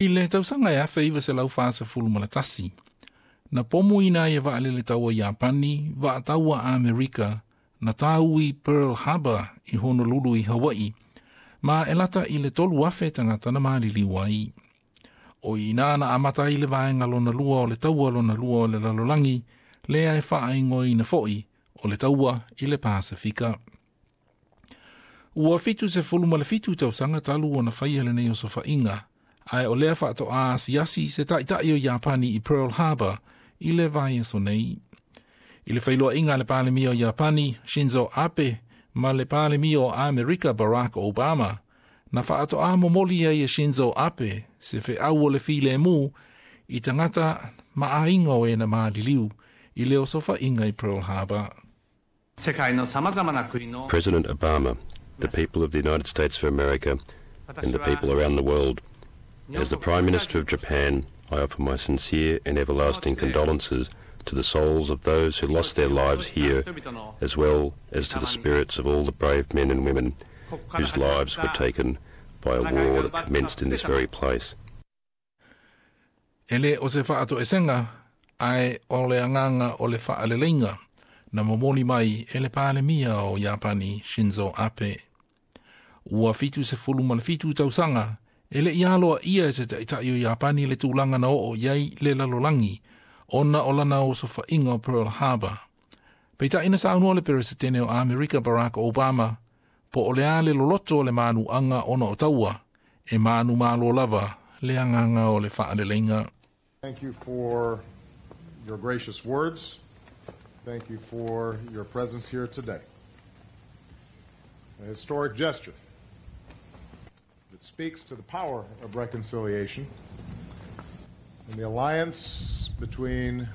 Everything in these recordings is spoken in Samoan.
I le tausaga e 1941, na pomuina ai e vaalele taua Iapani vaataua Amerika na tāui Pearl Harbor i Honolulu i Hawaii, ma e lata i le 3,000 tagata na maliliu ai. O i ina na amata ai le vaega lona lua o le taua lona lua o le lalolagi, lea e faaigoaina foi o le taua i le Pasifika. Ua 77 tausaga talu ona faia lenei osofaiga, ae o lea faatoa asiasi se taitai o Iapani i Pearl Harbor i le vaiaso nei. I le feiloaiga a le Palemia o Iapani, Shinzo Abe, ma le Palemia o Amerika Barack Obama, na faatoa momoli ai e Shinzo Abe se feau o le filemu i tagata ma aiga o e na maliliu i le osofaiga i Pearl Harbor. President Obama, the people of the United States of America, and the people around the world, as the Prime Minister of Japan, I offer my sincere and everlasting condolences to the souls of those who lost their lives here, as well as to the spirits of all the brave men and women whose lives were taken by a war that commenced in this very place. E le o se faatoesega, ae o le agaga o le faaleleiga, na momoli mai e le Palemia o Iapani Shinzo Abe. Ua 77 tausaga, e le i aloaia e se taitai o Iapani le tulaga na oo i ai le lalolagi, ona o lana osofaiga o Pearl Harbor. Peitai na saunoa le Peresetene o Amerika Barack Obama, po o le a le loloto o le manuaga ona o taua, e manumalo lava le agaga o le faaleleiga. Thank you for your gracious words. Thank you for your presence here today. A historic gesture that speaks to the power of reconciliation and the alliance between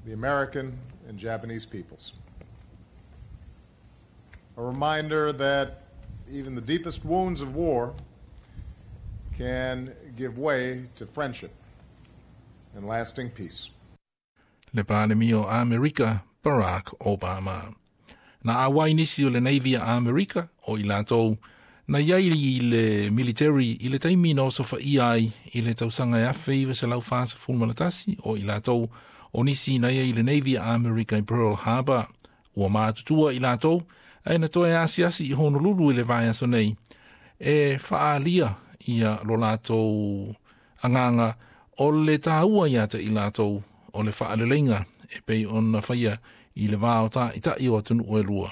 the American and Japanese peoples. A reminder that even the deepest wounds of war can give way to friendship and lasting peace. Le Palemia o Amerika Barack Obama. Na auai nisi o le Navy a Amerika o i latou na iai i le military i le taimi na osofaia ai i le tausaga e 1941 o i latou o nisi na iai i le Navy a Amerika i Pearl Harbor. Ua matutua i latou ae na toe asiasi i Honolulu i le vaiaso nei e faaalia ia lo latou agaga o le taua ia te i latou o le faaleleiga e pei ona faia i le va o taitai o atunuu e lua.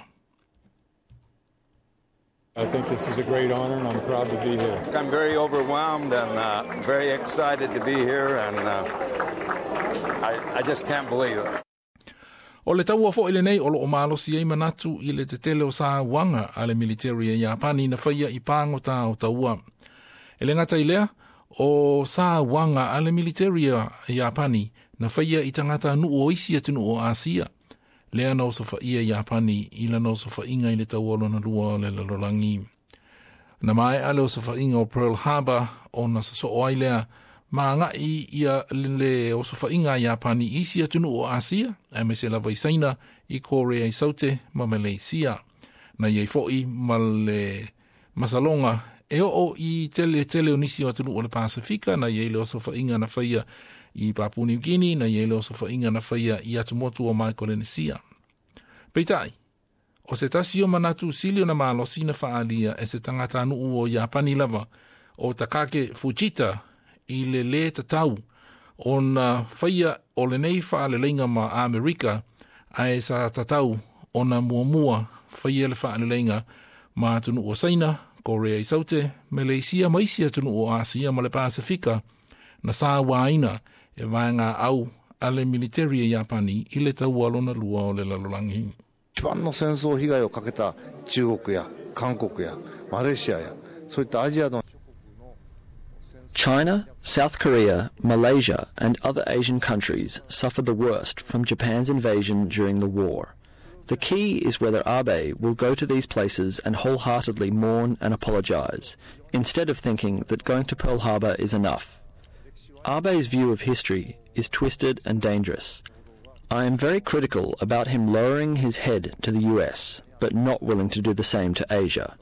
I think this is a great honor and I'm proud to be here. I'm very overwhelmed and very excited to be here, and I just can't believe it. O le taua foi lenei o loo malosi ai manatu i le tetele o sauaga a le military e Iapani na faia i pagota o taua. E le gata i lea, o sauaga a le military a Iapani na faia i tagata nuu o isi atunuu o Asia. Lea na osofaia Iapani i lana osofaiga i le taua lona lua o le lalolagi. Na maea le osofaiga o Pearl Harbor ona sosoo ai lea ma agai ia le osofaiga a Iapani i isi atunuu o Asia, aemaise lava i Saina, i Korea i Saute ma Malaysia. Na iai foi ma le masaloga e oo i tele tele o nisi o atunuu o le Pasifika, na iai le osofaiga na faia i Papua New Guinea, na iai le osofaiga na faia i atumotu o Micronesia. Peitai, o se tasi o manatu sili ona malosi na faaalia e se tagatanuu o Iapani lava, o Takake Fujita, i le lē tatau ona faia o lenei faaleleiga ma Amerika, ae sa tatau ona muamua faia le faaleleiga ma atunuu o Saina, Korea i Saute, Malaysia ma isi atunuu o Asia ma le Pasifika na sauaina e vaega au a le military e Iapani i le taua lona lua o le lalolagi. 一番の戦争被害をかけた中国や韓国やマレーシアやそういったアジアの China, South Korea, Malaysia, and other Asian countries suffered the worst from Japan's invasion during the war. The key is whether Abe will go to these places and wholeheartedly mourn and apologize, instead of thinking that going to Pearl Harbor is enough. Abe's view of history is twisted and dangerous. I am very critical about him lowering his head to the US, but not willing to do the same to Asia.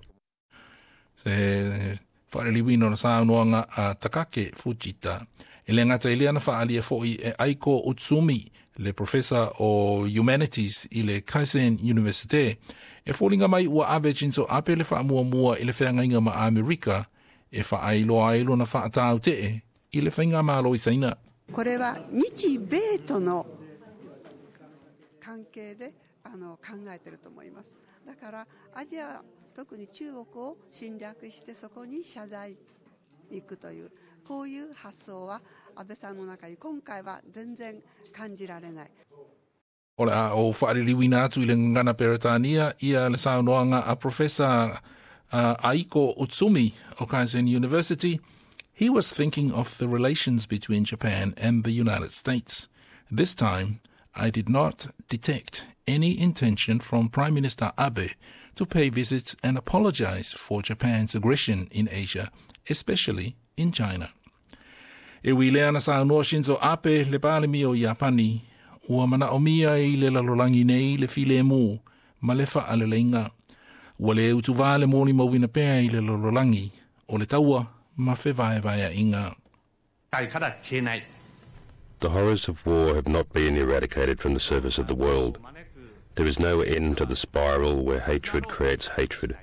Se Faaliliuina o le saunoaga a Takaki Fujita. E le gata i lea na faaalia foʻi e Aiko Utsumi, le professor o Humanities i le Keisen University. E foliga mai ua ave Shinzo Abe le faamuamua i le feagaiga ma Amerika e faailoa ai lona faatautee i le faigamalo i Saina. これは日米との関係で考えていると思います。だからアジア、特に中国を侵略してそこに謝罪に行くというこういう発想は安倍さんの中に今回は全然感じられない。 O le a ou faaliliuina atu i le gagana Peretania ia le saunoaga a Professor Aiko Utsumi o Keisen University. He was thinking of the relations between Japan and the United States. This time, I did not detect any intention from Prime Minister Abe to pay visits and apologize for Japan's aggression in Asia, especially in China. E ui i lea na saunoa Shinzo Abe le Palemia o Iapani, ua manaomia i le lalolagi nei le filemu ma le faaleleiga. Ua le utuvā le molimauina pea i le lalolagi o le taua ma fevaevaeaiga. The horrors of war have not been eradicated from the surface of the world. There is no end to the spiral where hatred creates hatred.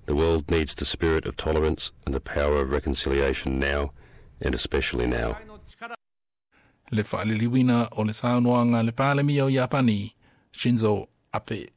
The world needs the spirit of tolerance and the power of reconciliation now, and especially now. Le faaliliuina o le saunoaga a le Palemia o Iapani, Shinzo Abe.